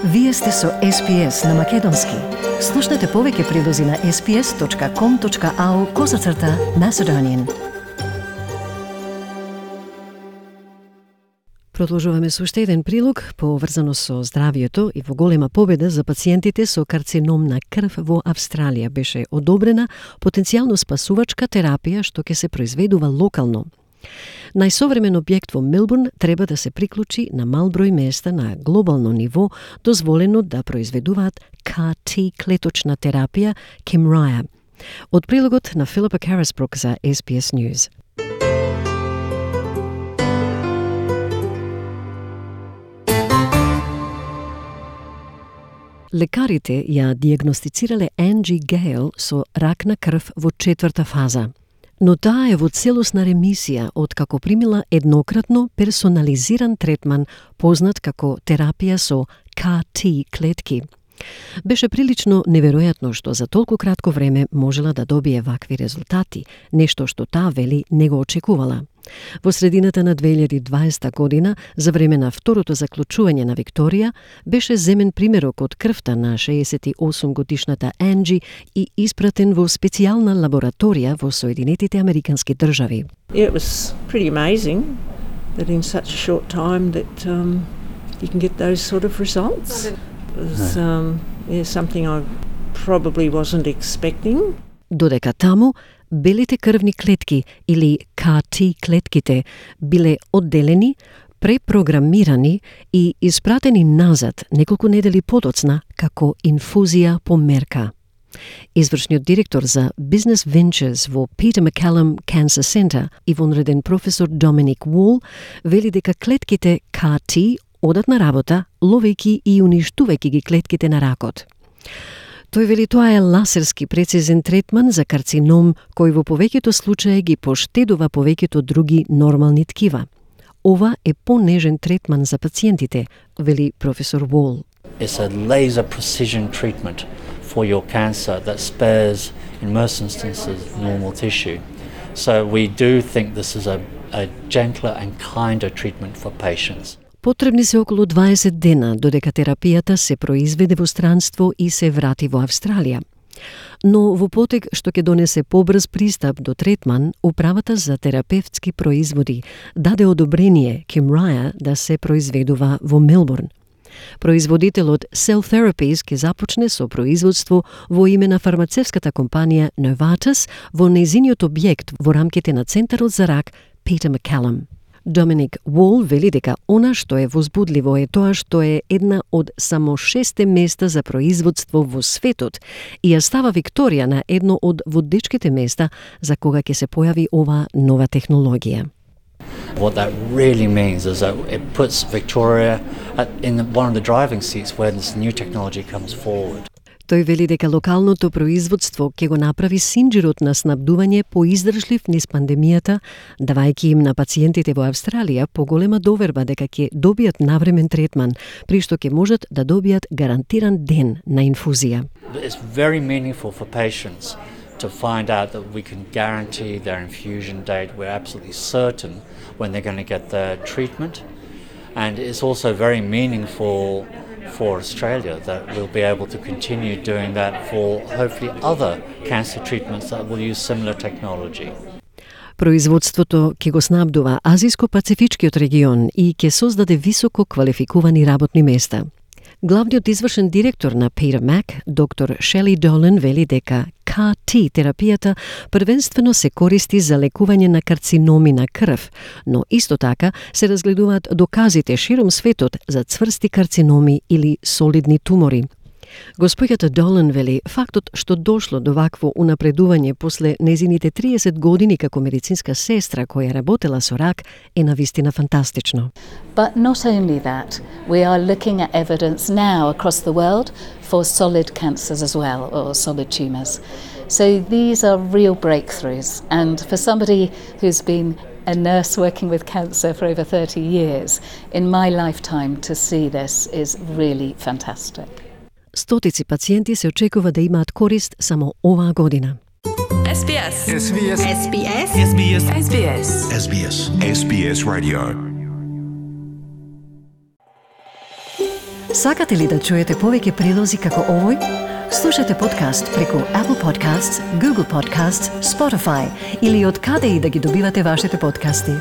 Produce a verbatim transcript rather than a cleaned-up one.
Вие сте со Ес Би Ес на Македонски. Слушнете повеќе прилози на ес би ес точка ком точка ау козацрта Macedonian. Продолжуваме со уште еден прилог поврзано со здравието и во голема победа за пациентите со карцином на крв во Австралија. Беше одобрена потенцијално спасувачка терапија што ќе се произведува локално. Најсовремен објект во Мелбурн треба да се приклучи на мал број места на глобално ниво, дозволено да произведуваат Кар Ти клеточна терапија Kymriah. Од прилогот на Филипа Карасбрук за Ес Би Ес News. Лекарите ја диагностицирале Анджи Гейл со рак на крв во четврта фаза. Но таа е во целосна ремисија откако примила еднократно персонализиран третман познат како терапија со Кар Ти клетки. Беше прилично неверојатно што за толку кратко време можела да добие вакви резултати, нешто што таа вели не го очекувала. Во средината на две илјади и дваесета година, за време на второто заклучување на Викторија, беше земен примерок од крвта на шеесет и осум годишната Анджи и испратен во специјална лабораторија во Соединетите Американски држави. Yeah, it was pretty amazing that in such a short time that um, you can get those sort of results. It was um, yeah, something I probably wasn't expecting. Додека таму, белите крвни клетки или Кар Ти клетките биле одделени, препрограмирани и испратени назад неколку недели подоцна како инфузија по мерка. Извршниот директор за Business Ventures во Peter MacCallum Cancer Center и вонреден професор Доминик Уол вели дека клетките Кар Ти одат на работа, ловејќи и уништувајќи ги клетките на ракот. Тој вели тоа е ласерски прецизен третман за карцином кој во повеќето случаи ги поштедува повеќето други нормални ткива. Ова е понежен третман за пациентите, вели професор Уол. It's a laser precision treatment for your cancer that spares, in most instances, normal tissue. So we do think this is a, a gentler and kinder treatment for patients. Потребни се околу дваесет дена додека терапијата се произведе во странство и се врати во Австралија. Но во потек што ќе донесе побрз пристап до третман, Управата за терапевтски производи даде одобрение Kymriah да се произведува во Мелбурн. Производителот Cell Therapies ќе започне со производство во име на фармацевската компанија Novartis во нејзиниот објект во рамките на Центарот за рак Peter MacCallum. Доминик Уол вели дека она што е возбудливо е тоа што е една од само шесте места за производство во светот и ја става Викторија на едно од водечките места за кога ќе се појави ова нова технологија. What that really means is that it puts Victoria at, in one of the driving seats where this new technology comes forward. Тој вели дека локалното производство ќе го направи синџирот на снабдување поиздржлив низ пандемијата, давајќи им на пациентите во Австралија поголема доверба дека ќе добијат навремен третман, при што ќе можат да добијат гарантиран ден на инфузија. It's very meaningful for patients to find out that we can guarantee their infusion date. We're absolutely certain when they're going to get their treatment. And it's also very meaningful for Australia that we'll be able to continue doing that for hopefully other cancer treatments that will use similar technology. Производството ќе го снабдува Азиско-Пацифичкиот регион и ќе создаде високо квалификувани работни места. Главниот извршен директор на Peter Mac, доктор Шели Долен, вели дека Кар Ти терапијата првенствено се користи за лекување на карциноми на крв, но исто така се разгледуваат доказите широм светот за цврсти карциноми или солидни тумори. Господјата Долен вели фактот што дошло до вакво унапредување после незините триесет години како медицинска сестра која работела со рак е навистина фантастично. But not only that, we are looking at evidence now across the world for solid cancers as well, or solid tumours. So these are real breakthroughs, and for somebody who's been a nurse working with cancer for over thirty years, in my lifetime to see this is really fantastic. Стотици пациенти се очекува да имаат корист само оваа година. Ес Би Ес. Ес Би Ес. Ес Би Ес. Ес Би Ес. Ес Би Ес. Ес Би Ес. Ес Би Ес Radio. Сакате ли да чуете повеќе прилози како овој? Слушате подкаст преку Apple Podcasts, Google Podcasts, Spotify или од каде и да ги добивате вашите подкасти.